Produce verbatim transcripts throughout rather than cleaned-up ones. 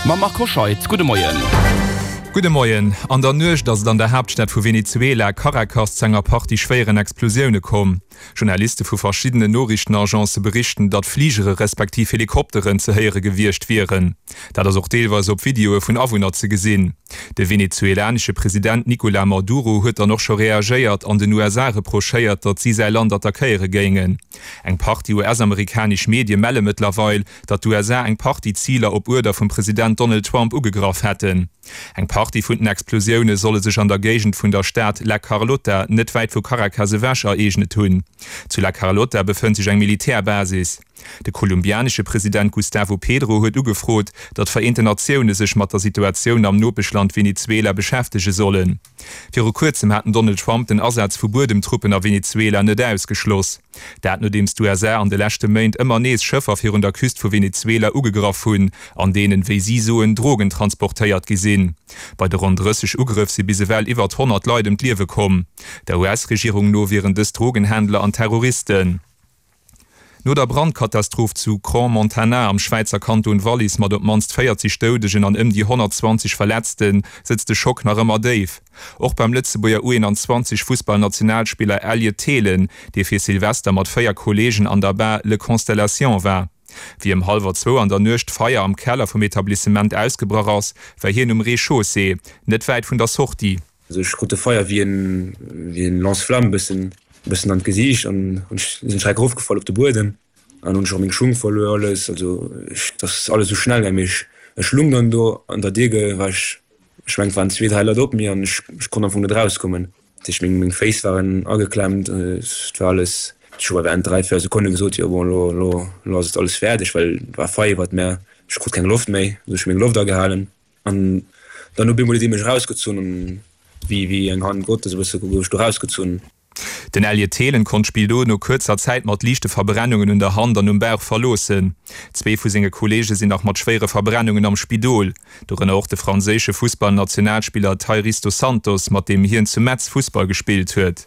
Mam Marco Hoscheid. Gudde Moien. Gudde Moien. An der Nuecht ass et an der Haaptstad vu Venezuela, Caracas, zu enger Partie schwéieren Explosioune komm. Journaliste vu verschiddenen Noriichtenagence berichten, datt Fligere respektiv Helikopteren ze héiere gewiescht wieren. Dat ass och deelweis op Videoe vun Awunner ze gesinn. De venezuelanesche President Nicolas Maduro huet dann och scho reagéiert an den U S A reprochéiert, datt si säi Land attackéiere géingen. Eng Partie U S-amerikanesch Medie melle mëttlerweil, datt d'U S A eng Partie Ziler op Uerder vum President Donald Trump ugegraff hätten. Eng Partie vun den Explosioune solle sech an der Géigend vun der Stad La Carlota, net wäit vu Caracas ewech, ereegnet hunn. Zu La Carlota befënnt sech eng Militärbasis. De kolumbianesche President Gustavo Petro huet ugefrot, datt d'Vereenten Natioune sech mat der Situatioun am Nopeschland Venezuela beschäftege sollen. Viru kuerzem hat den Donald Trump den Asaz vu Buedemtruppen a Venezuela net ausgeschloss. Dat nodeems d'U S A an de leschte Méint ëmmer nees Schëffer virun der Küst vu Venezuela ugegraff hunn, an deenen, wéi si soen, Drogen transportéiert gi sinn. Bei de ronn drësseg Ugrëff si bis ewell iwwer honnert Leit ëm d'Liewe komm. Der U S-Regierung no wieren dës Drogenhändler an Terroristen. No der Brandkatastroph zu Crans-Montana am Schwäizer Kanton Wallis mat op d'mannst véierzeg Doudegen an ëm déi honnertzwanzeg Verletzten sëtzt de Schock nach ëmmer déif. Och beim Lëtzebuerger U einundzwanzeg Fussballnationalspiller Elliot Thelen, dee fir Silvester mat véier Kolleegen an der Bar Le Constellation war. Wéi ëm hallwer zwou an der Nuecht Feier am Keller vum Etablissement ausgebrach ass, war hien um Rez-de-chaussée, net wäit vun der Sortie. Also ech krut de Feier wéi en, wéi en Lance-flamme bëssen, bëssen an d'Gesiicht an hunn ech, sinn schreck erofgefall op de Buedem an hunn ech och meng Schung verluer, alles. Also ech, das ass alles sou schnell gaangen. Ech, ech lung dann do an der Dier, war ech, ech mengen, et waren zwee, dräi Leit op mir an ech, ech konnt am Fong net rauskommen. Dat heescht, meng, meng Féiss waren ageklemmt, et war alles. Ech hu awer dräi, véier Sekonne gesot, jo bon, lo, lo, lo ass et alles fäerdeg, well et war Feier iwwert mär. Ech krut keng Loft méi, also ech hu meng Loft agehalen. An dann hu bemol déi mech erausgezunn an wéi, wéi eng Hand Gottes e bësse gouf ech do rausgezunn. Den Elliot Thelen konnt d'Spill do no kuerzer Zäit mat liichte Verbrennungen un der Hand an um Bauch verloossen. Zwee vu senge Kolleege sinn nach mat schwéiere Verbrennungen am Spidol. Dorënner och de franséische Fussballnationalspiller Tyrese dos Santos, mat deem hien zu Metz Fussball gespillt huet.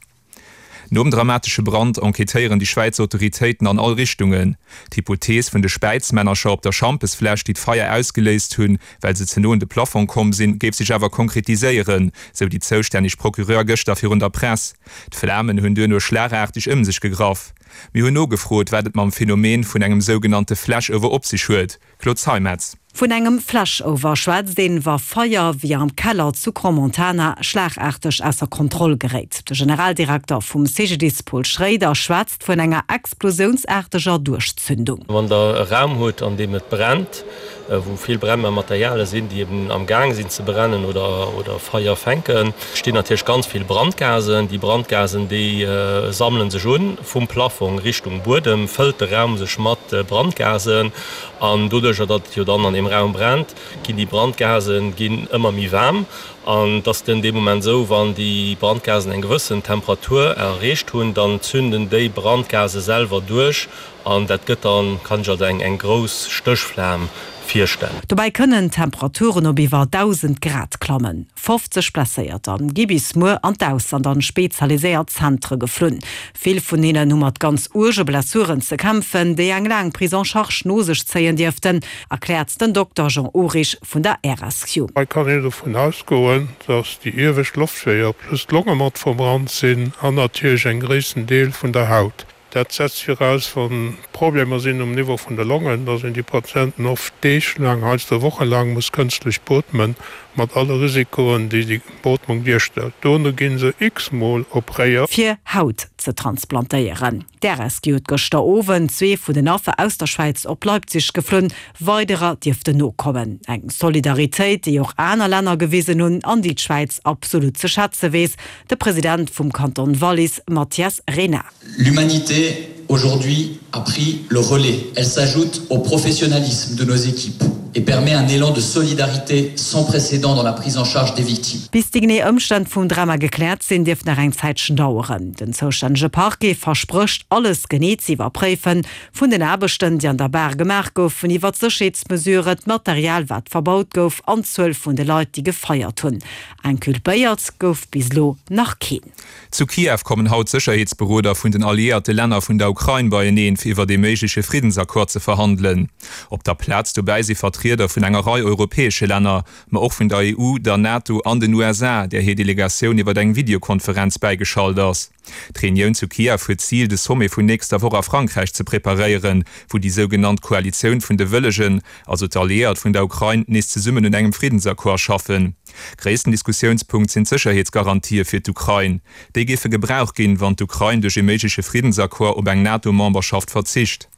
Nom dramatesche Brand enquêtéieren déi Schwäizer Autoritéiten an all Richtungen. D'Hypothees vun de Späizmännercher op der Schampesfläsch, déi d'Feier ausgeléist hunn, well se ze no un de Plafond komm sinn, géif sech awer konkretiséieren, sou déi zoustänneg Procureur gëschter virun der Press. D'Flamen hunn duerno schlagaarteg ëm sech gegraff. Mir hunn nogefrot, wat et mam Phänomen vun engem sougenannte Flashover op sech huet. Claude Zeimetz. Vun engem Flashover schwätzt een, wa Feier wéi am Keller zu Crans-Montana schlagaarteg ausser Kontroll geréit. De Generaldirekter vum C G D I S Paul Schréider schwätzt vun enger explosiounsaarteger Duerchzündung. Wann der e Raum huet, an deem et brennt, wou vill Brennmateriale sinn, déi eben am Gang sinn ze brennen oder, oder Feier fänken, stinn natierlech ganz vill Brandgasen. Déi Brandgasen, déi, äh, sammelen sech un vum Plafong Richtung Buedem, fëllt de Raum sech mat, äh, Brandgasen an doduerch, datt et jo dann an dem Raum brennt, ginn déi Brandgasen ginn ëmmer méi waarm an dass den deem Moment sou, wann déi Brandgasen eng gewëssen Temperatur erreecht hunn, dann zünden déi Brandgase selwer duerch an dat gëtt dann, kann ich also eng, eng grouss Stéchflam virstellen. Dobäi kënnen Temperaturen op iwwer dausend Grad klammen. fofzeg Blesséierter gi bis muer an d'Ausland an spezialiséiert Zentre geflunn. Vill vun hinnen hu mat ganz uerge Blessuren ze kämpfen, déi eng laang Prise en charge no sech zéien dierften, erkläert den Dokter Jean Urich vun der R S Q. Hei kann een dovun ausgoen, dass déi iewescht Loftweeër plus d'Longe mat verbrannt sinn an natierlech en gréissten Deel vun der Haut. Dat setzt viraus, wann Problemer sinn um Niveau vun der Longen, dass een déi Patienten oft deeglaang, heiansdo wochenlang muss kënstlech beatmen, mat alle Risikoen, déi déi Beatmung duerstellt. Dono ginn se x-mol opréiert. Fir Haut ze transplantéieren. D' R S Q huet gëschter Owend zwee vun den Affer aus der Schwäiz op Leipzig geflunn. Weiderer dierften nokommen. Eng Solidaritéit, déi och aner Länner gewisen hunn an déi d'Schwäiz absolut ze schätze weess. De President vum Kanton Wallis, Mathias Renard. L'humanité aujourd'hui a pris le relais. Elle s'ajoute au professionnalisme de nos équipes et permet un élan de solidarité sans précédent dans la prise en charge des victimes. Bis déi genee Ëmstänn vum Drama gekläert sinn, dierft nach eng Zäitchen daueren. Den zoustännege Parquet verspricht, alles genee ze iwwerpréifen. Vun den Aarbechten, déi an der Bar gemaach goufen, iwwer d'Sécherheetsmesuren, d'Material, wat verbaut gouf, an d'Zuel vun de Leit, déi gefeiert hunn. Inculpéiert gouf bis elo nach keen. Zu Kiew kommen haut Sécherheetsberoder vun den alliéierte Länner vun der Ukrain beieneen, fir iwwer de méigleche Friddensaccord ze verhandelen. Op der Plaz dobäi si Vertrieder Vertrieder vun enger Rei europäesche Länner, ma och vun der E U, der NATO an den U S A, där hir Delegatioun iwwer eng Videokonferenz bäigeschalt ass. D'Reunioun zu Kiew huet d'Zil, de Sommet vun nächster Woch a Frankräich ze preparéieren, wou déi sougenannt Koalitioun vun de Wëllegen, also d'Alliéiert vun der Ukrain, nees zesummen un engem Friddensaccord schaffen. Gréissten Diskussiounspunkt sinn d'Sécherheetsgarantië fir d'Ukrain. Déi géife gebraucht ginn, wann d'Ukrain duerch e méigleche Friddensaccord op eng NATO-Memberschaft verzicht.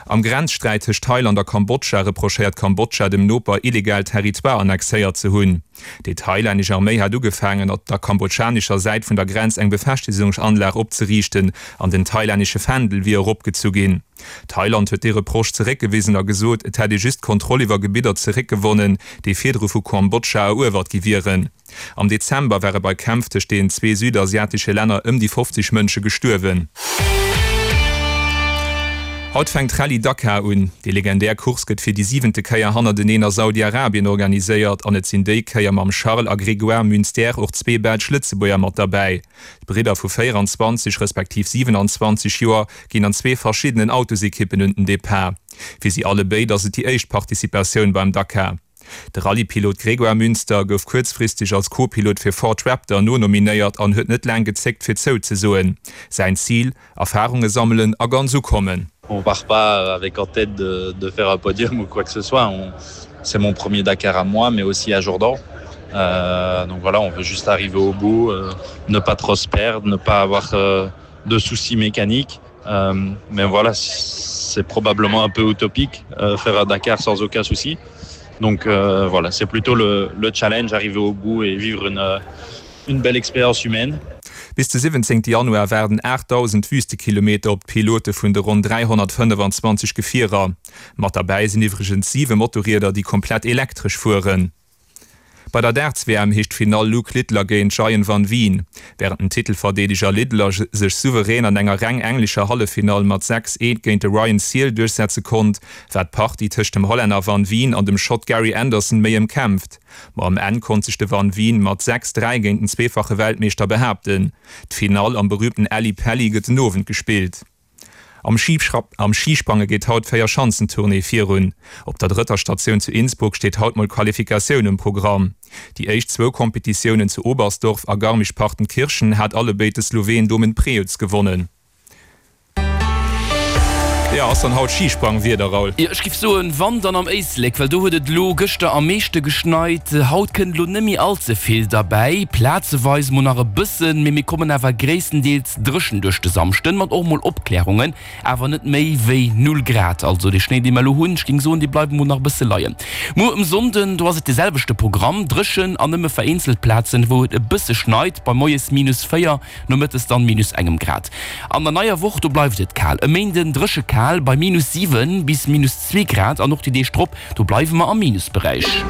Am Grenzsträit tëscht Thailand a Kambodscha reprochéiert Kambodscha dem Noper, illegal Territoire annexéiert ze hunn. Déi thailännesch Arméi hat ugefaangen, op der kambodschanescher Säit vun der Grenz eng Befestegungsanlag opzeriichten an den thailännesche Fändel wier eropgezu ginn. Thailand huet dee Reproche zeréckgewisen a gesot, et hätt ee just d'Kontroll iwwer Gebidder zeréckgewonnen, déi virdru vu Kambodscha eruewert gi wieren. Am Dezember ware bei Kämpf tëscht deenen zwee südasiatesche Länner ëm déi fofzeg Mënsche gestuerwen. Haut fänkt d'Rallye Dakar un. Déi legendär Course gëtt fir déi siwente Kéier hannerteneen a Saudi-Arabien organiséiert an et sinn déi Kéier mam Charles a Grégoire Munster och zwee belsch Lëtzebuerger mat derbäi. D'Bridder vu véieranzwanzeg respektiv siwenanzwanzeg Joer ginn an zwee verschiddenen Autosekippen un den Depart. Fir si allebéid ass et déi éischt Participatioun beim Dakar. De Rallye-Pilot Grégoire Munster gouf kuerzfristeg als Co-Pilot fir Ford Raptor nonominéiert an huet net laang gezéckt fir zouzesoen. Säin Zil, Erfarunge sammelen a ganz ukommen. On part pas avec en tête de, de faire un podium ou quoi que ce soit. On, c'est mon premier Dakar à moi, mais aussi à Jordan. Euh, donc voilà, on veut juste arriver au bout, euh, ne pas trop se perdre, ne pas avoir euh, de soucis mécaniques. Euh, mais voilà, c'est probablement un peu utopique euh, faire un Dakar sans aucun souci. Donc euh, voilà, c'est plutôt le, le challenge, arriver au bout et vivre une, une belle expérience humaine. Bis de siwwenzéngte Januar waarden aachtdausend Wüstekilometer op d'Pilote vun de ronn dräihonnertfënnefenzwanzeg Gefierer. Mat derbäi sinn iwwregens siwe Motorrieder, déi komplett elektresch fueren. Bei der Darts-W M heescht d'Finall Luke Littler géint Gian van Veen. Wärend den Titelverdeedeger Littler sech souverän an enger reng englescher Halleffinall mat sechs, eent géint de Ryan Searle duerchsetze konnt, war d'Partie tëscht dem Hollänner van Veen an dem Schott Gary Anderson méi ëmkämpft. Ma um Enn konnt sech de van Veen mat sechs, dräi géint den zweefache Weltmeeschter behaapten. D'Finall am berüümten Ally Pally gëtt den Owend gespillt. Am Schisprange geet haut d'Véierschanzentournée virun. Op der drëtter Statioun zu Innsbruck steet haut mol d'Qualifikatioun um Programm. Déi éischt zwou Kompetitiounen zu Oberstdorf a Garmisch-Partenkirchen hat allebéid de Sloween Domen Prevc gewonnen. Jo, ass dann haut Schisprangwieder, Raoul? Jo, ech giff soen, wann, dann am Éislek, well do huet et elo gëschter am meeschte geschneit. Haut kënnt elo net méi all ze vill derbäi, plazeweis mol nach e bëssen, mee mir kommen awer gréisstendeels dréchen duerch de Samschden, mat och mol Opklärungen, awer net méi wéi null Grad. Also dee Schnéi, dee mer elo hunn, ech géing soen, dee bleiwe mol nach e bësse leien. Muer um Sonnden, do ass et de selwechte Programm, dréchen an nëmme vereenzelt Plazen, wou et e bësse schneit, bei moies minus véier, nomëttes dann minus engem Grad. An der neier Woch, do bleift et kal, e Méinden dréche kal bei minus siwen bis minus zwee Grad an och déi Deeg drop, do bleiwe mer am Minusberäich.